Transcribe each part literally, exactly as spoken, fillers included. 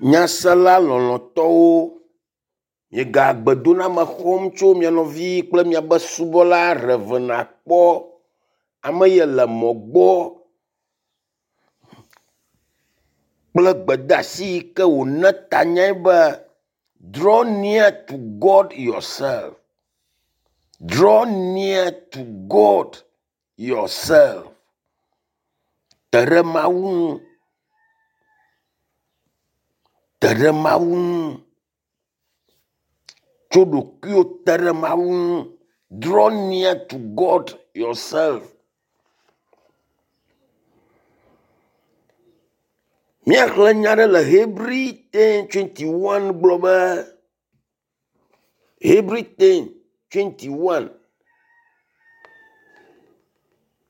Nyasela lɔlɔ̃tɔwo, miega gbedoname xɔm tso mia nɔvi kple miabe subɔla Rev. Akpɔ. Ame ye le mɔ gbɔ kple gbedeasi yi ke wòna tanyae be “Draw near to God yourself. Draw near to God yourself.” Te ɖe Mawu ŋu. Te ɖe Mawu ŋu. Tso ɖokuiwò te ɖe Mawu ŋu. Draw near to God yourself. Míaxlẽ nya aɖe le Hebri ten twenty one gblɔ be Hebri ten twenty one.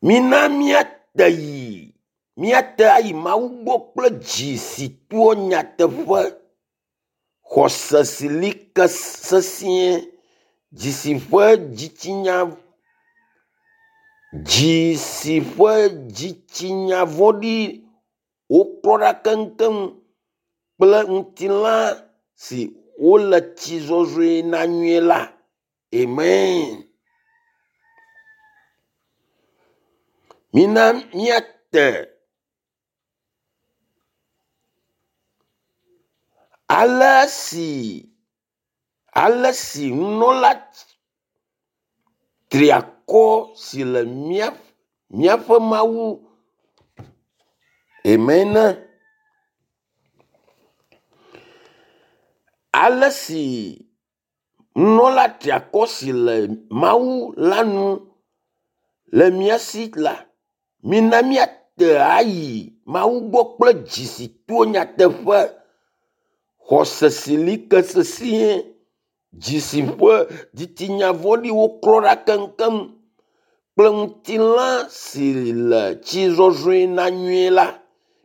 Mina míate yi míate ayi Mawu gbɔ kple dzi si toa nyateƒe, xɔse si li ke sesĩe, dzi si ƒe dzitsinya dzi si ƒe dzitsinya vɔ̃ɖi woklɔ ɖa keŋkeŋ kple ŋutilã si wole tsi zɔzrɔe na nyuie la. Amen. Mina míate ale si ale si nunɔla triakɔ si le mía míaƒe Mawu Amen. Ale si nunɔla triakɔ si le Mawu la nu le mía si la, mina míate ayi Mawu gbɔ kple dzi si to nyateƒe, xɔse si li ke sesĩe, dzi si ƒe dzitsinya vɔ̃ɖiwo klɔ ɖa keŋkeŋ kple ŋutilã si le tsi zɔzrɔe na nyuie la.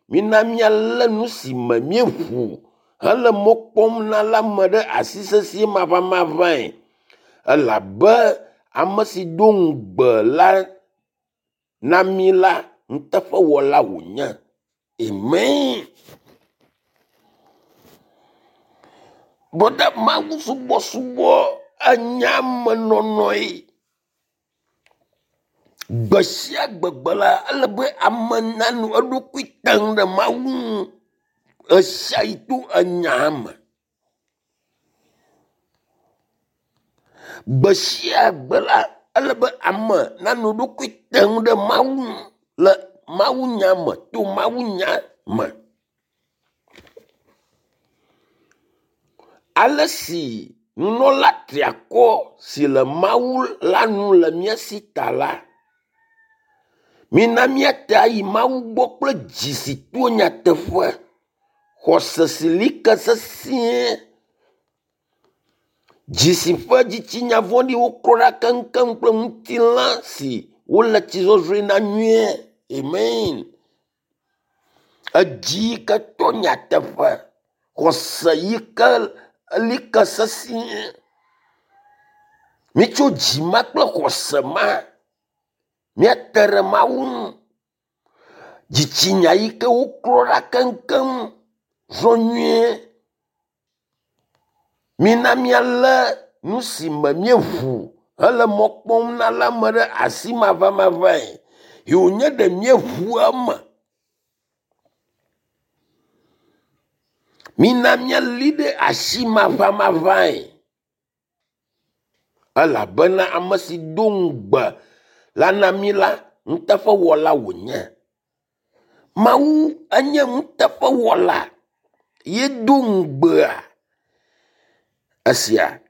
Mina míalé nu si me míeʋu hele mɔ kpɔm na la me ɖe asi sesĩe maʋamaʋãe elabe ame si do ŋugbe la na mí la, nuteƒewɔla wònye. Amen. Brɔda Mawu subɔsubɔ enye amenɔnɔe. Gbe sia gbegbe la, ele be ame nanɔ eɖokui tem ɖe Mawu ŋu ɣesiaɣi to enya me. Gbe sia gbe la, ele be ame nanɔ eɖokui tem ɖe Mawu ŋu le mawunya me to mawunya me. Ale si nunɔla triakɔ si le Mawu la nu le mía si ta la, mina míate ayi Mawu gbɔ kple dzi si to nyateƒe, xɔse si li ke sesĩe, dzi si ƒe dzitsinya vɔ̃ɖiwo klɔ ɖa keŋkeŋ kple ŋutilã si wole tsi zɔzrɔe na nyuie. Amen. Edzi yi ke to nyateƒe, xɔse yi ke li ke sesĩe. Mitso dzi ma kple xɔse ma míate ɖe Mawu ŋu. Dzitsinya yi ke woklɔ ɖa keŋkeŋ zɔ nyuie. Mina míalé nu si me míeʋu hele mɔ kpɔm na la me ɖe asi maʋamaʋãe. Yi wònye ɖe míeʋu eme. Mina míali ɖe asi maʋamaʋãe. Elabena ame si do ŋugbe la na mí la, nuteƒewɔla wònye. Mawu enye nuteƒewɔla. Ye do ŋugbea esia.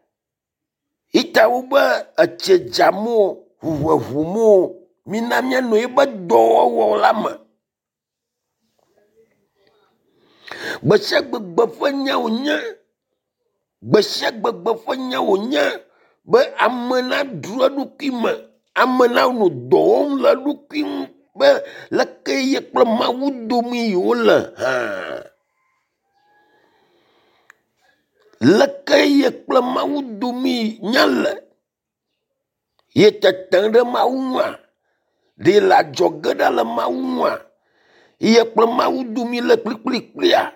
Ita wobe etse dzam o, ʋu ʋuʋum o, mina míanɔ eƒe dɔwɔwɔ la me. Gbe sia gbegbe ƒe nya wònye. Gbe sia gbegbe ƒe nya wònye be ame nadro eɖokui me, ame nanɔ dɔ wɔm le eɖokui ŋu be leke ye kple Mawu dome yewole hã. Leke ye kple Mawu dome nya le. Ye tetem ɖe Mawu ŋua? Ɖe le adzɔge ɖa le Mawu ŋua? Ye kple Mawu dome le kplikplikplia?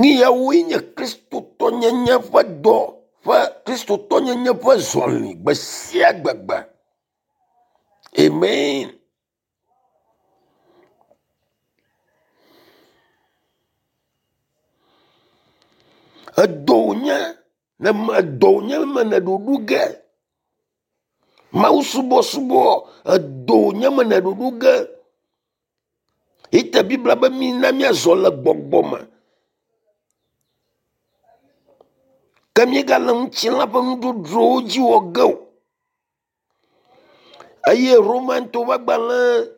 Nuyawoe nye kristotɔnyenye ƒe dɔ ƒe kristotɔnyenye ƒe zɔli gbe sia gbegbe. Amen. Edɔ wònye ne edɔ wònye me ne ɖoɖo ge. Mawu subɔsubɔ edɔ wònye me ne ɖoɖo ge. Ite Biblia be mina míazɔ le gbɔgbɔ me. Ke míegale ŋutilã ƒe nudzodzrowo dzi wɔ ge o. Eye Romantɔwo ƒe agbalẽ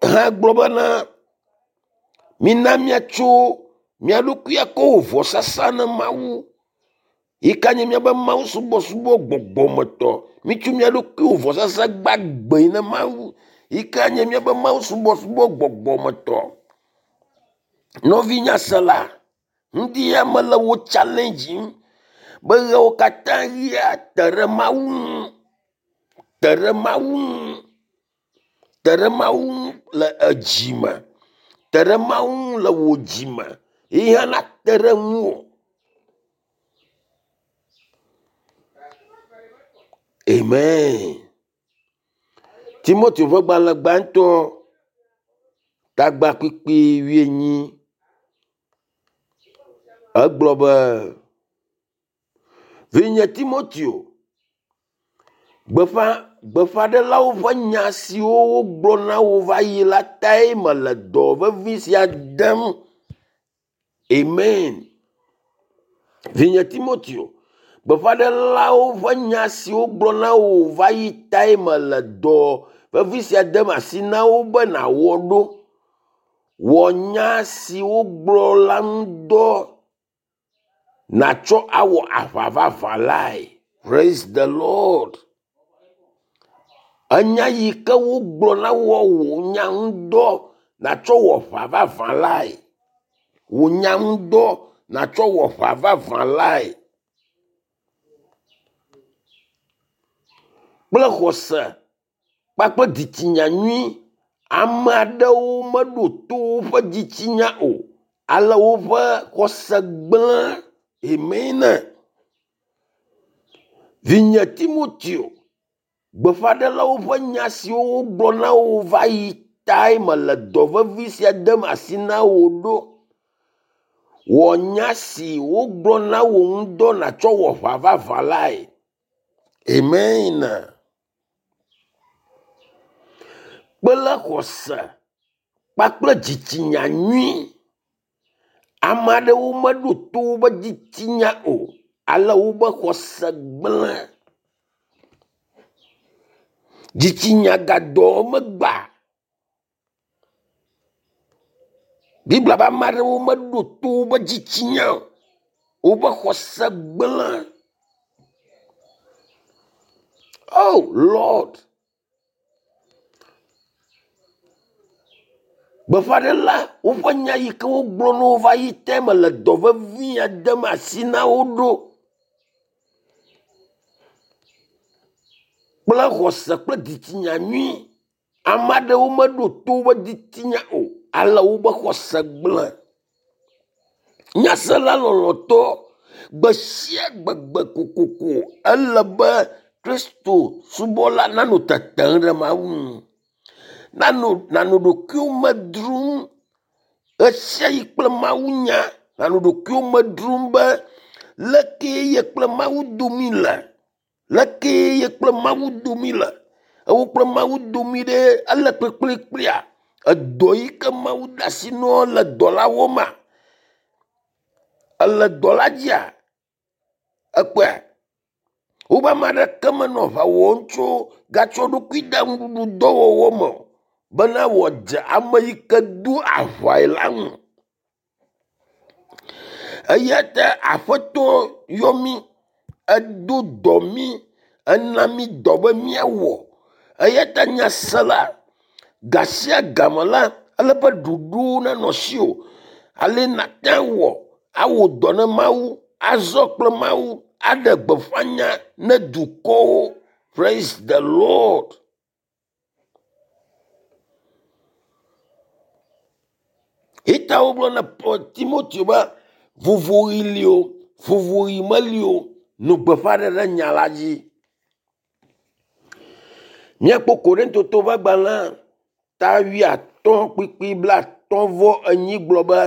hã gblɔ bena mina míatso mía ɖokui akɔ wɔ vɔsasa na Mawu yi ka nye míaƒe Mawu subɔsubɔ gbɔgbɔmetɔ. Mitso mía ɖokui wɔ vɔsasa gbagbe na Mawu yi ka nye míaƒe Mawu subɔsubɔ gbɔgbɔmetɔ. Nɔvi nyasela, ŋdi ya mele wo challenge be ɣewo katã ɣia te ɖe Mawu ŋu, te ɖe Mawu ŋu, te ɖe Mawu ŋu le edzi me, te ɖe Mawu ŋu le wò dzi me ye hã nate ɖe ŋuwò. Amen. Timoteo ƒe gbalẽ gbãtɔ tagba kpikpi wuienyi egblɔ be vinye Timoteo, gbeƒã gbeƒãɖelawo ƒe nya siwo wogblɔ na wò va yi la tae mele dɔ vevi sia dem. Amen. Vinye Timoteo, gbeƒãɖelawo ƒe nya siwo wogblɔ na wò va yi tae mele dɔ vevi sia dem asi na wo be nàwɔ ɖo. Wɔ nya si wogblɔ la ŋu dɔ nàtsɔ awɔ aʋa vavã lae. Praise the Lord. Enya yi ke wogblɔ na wɔ wò nya ŋu dɔ nàtsɔ wɔ aʋa vavã lae. Wò nya ŋu dɔ nàtsɔ wɔ aʋa vavã lae. Kple xɔse kpakple dzitsinya nyui. Ame aɖewo meɖo to woƒe dzitsinya o, ale woƒe xɔse gblẽ. Amen. Vinye Timoteo, gbeƒãɖelawo ƒe nya siwo wogblɔ na wò va yi tae mele dɔ vevi sia dem asi na wò ɖo. Wɔ nya si wogblɔ na wò ŋu dɔ nàtsɔ wɔ aʋa vavã lae. Amen. Kple xɔse kpakple dzitsinya nyui. Ame aɖewo meɖo to woƒe dzitsinya o, ale woƒe xɔse gblẽ. Dzitsinya gadɔ megba. Biblia be ame aɖewo meɖo to woƒe dzitsinya o, woƒe xɔse gblẽ. Oh Lord. Gbeƒãɖela woƒe nya yi ke wogblɔ na wo va yi te mele dɔ vevi ya dem asi na wo ɖo. Kple xɔse kple dzitsinya nyui. Ame aɖewo meɖo to woƒe dzitsinya o, ale woƒe xɔse gblẽ. Nyasela lɔlɔ̃tɔ, gbe sia gbegbe kokoko ele be Kristo subɔla nanɔ tetem ɖe Mawu ŋu. Nanɔ nanɔ ɖokuiwo me dzrom ɣe sia ɣi kple Mawu nya. Nanɔ ɖokuiwo me dzrom be leke ye kple Mawu domi le. Leke ye kple Mawu domi le. Ewo kple Mawu domi ɖe ele kplikplikplia. Edɔ yi ke Mawu de asi na le dɔ la wɔma. Ele dɔ la dzia. Ekpɔe. Wobe ame aɖeke menɔ aʋa wɔm tso gatsɔ ɖokui de nuɖuɖu dɔwɔwɔ me o bena wòadze ame yi ke do aʋae la ŋu. Eya ta Aƒetɔ yɔ mí, edo dɔ mí, ena mí dɔ be míawɔ. Eya ta nyasela, ga sia game la, ele be ɖoɖowo nanɔ asiwò. Ale nàte awɔ awɔ dɔ na Mawu, azɔ kple Mawu, aɖe gbeƒã nya ne dukɔwo. Praise the Lord. Eta wogblɔ na Timoteo be vovoɣi li o, vovoɣi meli o, nɔ gbeƒã ɖe nya la dzi. Míakpɔ Korintotɔwo ƒe agbalẽ ta wuiatɔ̃ kpukpui blaatɔ̃ vɔ enyi gblɔ be,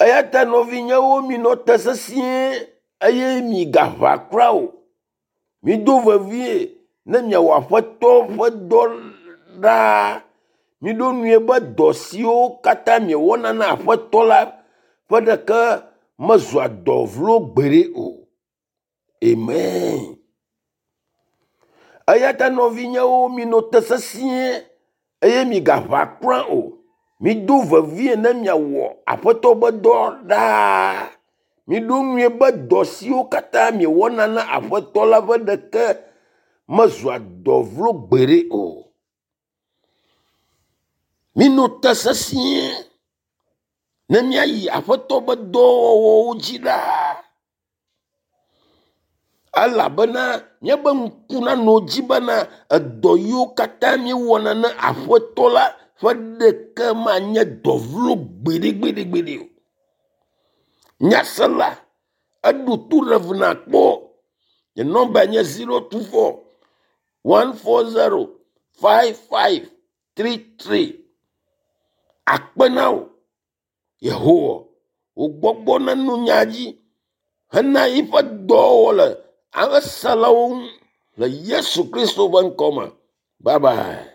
eya ta nɔvinyewo minɔ te sesĩe eye migaʋã kura o. Mido vevie ne miawɔ Aƒetɔ ƒe dɔ ɖaa. Miɖo ŋui be dɔ siwo katã miewɔna na Aƒetɔ la ƒe ɖeke mezua dɔ vlo gbeɖe o. Amen. Eya ta nɔvinyewo minɔ te sesĩe eye migaʋã kura o. Mido vevie ne miawɔ Aƒetɔ ƒe dɔ ɖaa. Miɖo ŋui be dɔ siwo katã miewɔna na Aƒetɔ la ƒe ɖeke mezua dɔ vlo gbeɖe o. Minɔ te sesĩe ne míayi Aƒetɔ ƒe dɔwɔwɔwo dzi ɖaa. Elabena míaƒe ŋku nanɔ dzi bena edɔ yiwo katã míewɔna na Aƒetɔ la ƒe ɖeke manye dɔ vlo gbeɖegbeɖegbeɖe o. Nyasela, eɖo to Rev. Akpɔ. Nye nɔmba nye zero two four one four zero five five three three. Akpe na wò Yehowa, wò gbɔgbɔ neno nya dzi hena yiƒe dɔwɔwɔ le eselawo ŋu le Yesu Kristo ƒe ŋkɔ me. Bye bye.